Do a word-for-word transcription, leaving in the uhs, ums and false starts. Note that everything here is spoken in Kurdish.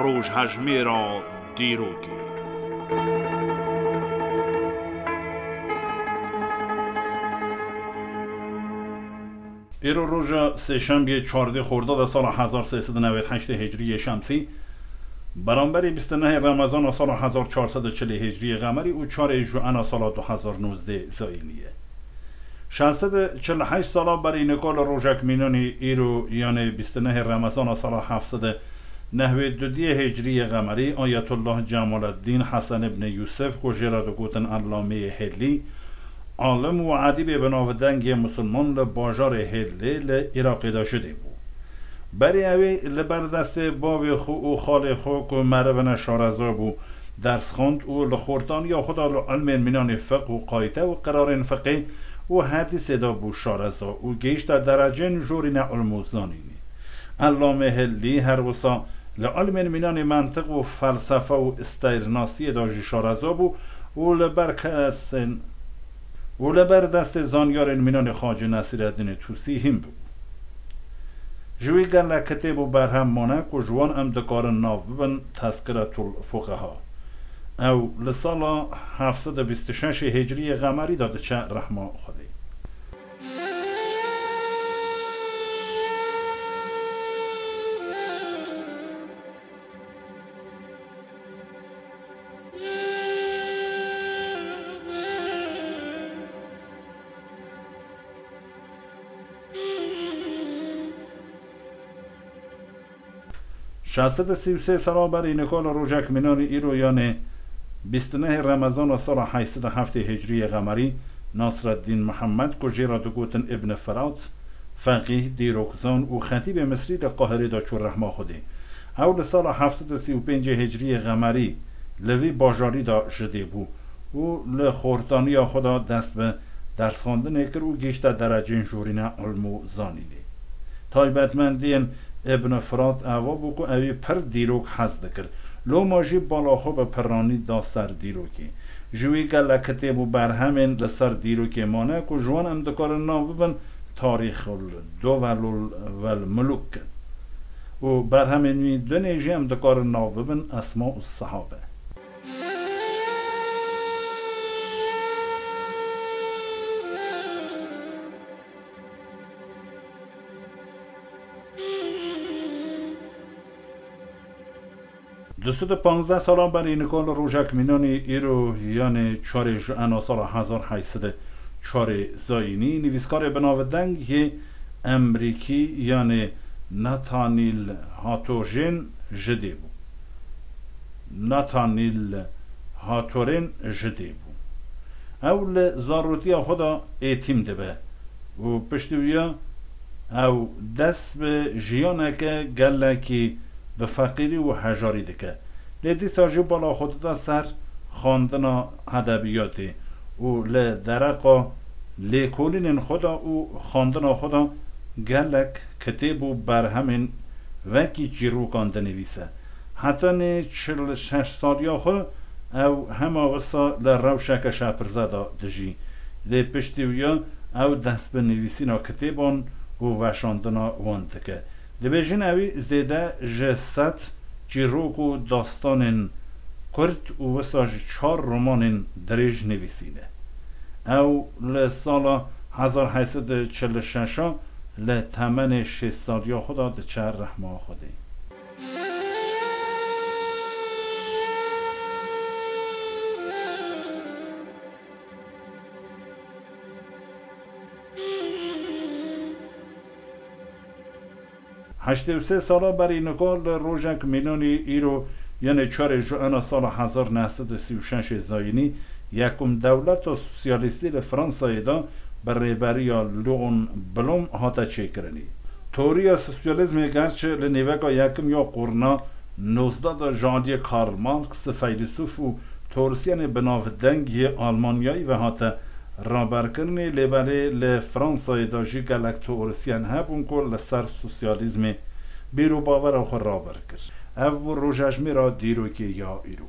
Rojhejmêra dîrokê. Îro roja sêşembiyê çardê Xordada sala hezar sê sed û newêd heştê Hicriyê Şemsî, beramberî bîst û nehê Remezana sala hezar çar sed û çilê Hicriyê Qemerî û çarê Juena sala du hezar nozdeh Zayînî ye. Şeş sed û çil û heşt sala berî nika li rojek mînanî îro, yanê bîst û nehê Remezana sala heft sed û nehwê dudiyê Hicriyê Qemerî, Ayetullah Cemaleddîn Hesen ibn Yûsif, ku jê re digotin Ellameyê Hêlî, alim û edîbê binavdeng yê misilman li bajarê Hêlê li Iraqê de ji dê bû. Berî ewê li ber destê bavê xwe û xalê xwe ku merivine şareza bû, ders xwend û li xortaniya xwe de li ilmên mînanê fiqh û qayte û qirarên fiqê û hedîsê de bû şareza û gihişte derecên jorîne ilm û zanînê. Ellamê Hillî her wisa li ilmên mînanê mentiq û felsefe û steyrnasiyê de jî şareza bû û li ber kesên û li ber destê zanyarên mînanê Xacê Nesîreddînê Tûsî hîn bû. Ji wî gelek kitêb û berhem mane ku ji wan em dikarin nav bibin Tezkiretul Fuqeha. Ew li sala heft sed û bîst û şeş Hicriyê Qemerî de diçe rehma Xwedê. Şeş sed û sî û sê sala berî nika li rojek mînanî îro, yanê bîst û nehê Remezana sala heyşt sed û heftê Hicriyê Qemerî, Nasreddîn Mihemed, ku jê re digotin Ibn Firat, feqîh, dîrokzan û xetîbê Misrî li Qahirê de çû rehma Xwedê. Ew li sala heft sed û sî û pêncê Hicriyê Qemerî li vî bajarî de ji dê bû û li xortaniya xwe de dest bi dersxwendinê kir û gihişte derecên jorîne ilm û zanînê. Taybetmendiyên Ibn Firat eva bû ku ewî pir dîrok hez dikir. Loma jî bala xwe bi piranî da ser dîrokê. Ji wî gelek kitêb û berhemên li ser dîrokê mane ku ji wan em dikarin nav bibin Tarîxul Duvelul vel Muluk û berhemên wî dinê jî em dikarin nav bibin Esma û Sehabe. Du sed û panzdeh sala berî nika li rojek mînanî îro, yanê çarê Juena sala hezar heyşt sed û çarê Zayînî, nivîskarê binavdeng yê Emrîkî, yanê Nathaniel Hawthorne ji dê bû. Nathaniel Hawthorne ji dê bû. Ew li zarotiya xwe de êtîm dibe û piştî wiya ew dest bi jiyaneke gelekî bi feqîrî û hejarî dike. Lê dîsa jî bala xwe dida ser xwendina edebiyatê û li dereqa lêkolînên xwe de û xwendina xwe de gelek kitêb û berhemên wekî çîrokan dinivîse. Hetanî çil û şeş saliya xwe ew hema wisa li rewşeke şepirze de dijî. Lê piştî wiya ew dest bi nivîsîna kitêban û weşandina wan dike. Dibêjin ewî zêde ji sed çîrok û dastanên kurt û wisa ji çar romanên dirêj nivîsîne. Ew li sala hezar heyşt sed û çil û şeş li temenê şêst saliya xwe de diçe rehma Xwedê. Heştê û sê sala berî nika li rojek mînanî îro, yanê çarê Juena sala hezar neh sed û sî û şeş zayînî, yekum dewleta sosyalîstî li Fransayê de bi rêberiya Leon Blum hate çêkirinî. Teoriya sosyalîzmê gerçi li nîveka yekim ya qurna nozdeh de ji aliyê Karl Marx, feylesûf û teorisyenê binavdeng yê Almanyayî ve hate raberkirinê, lê belê li Fransayê de jî gelek teorisyen hebûn ku li ser sosyalîzmê bîr û bavera xwe raber kir. Ev bû rojejmêra dîrokê ya îro.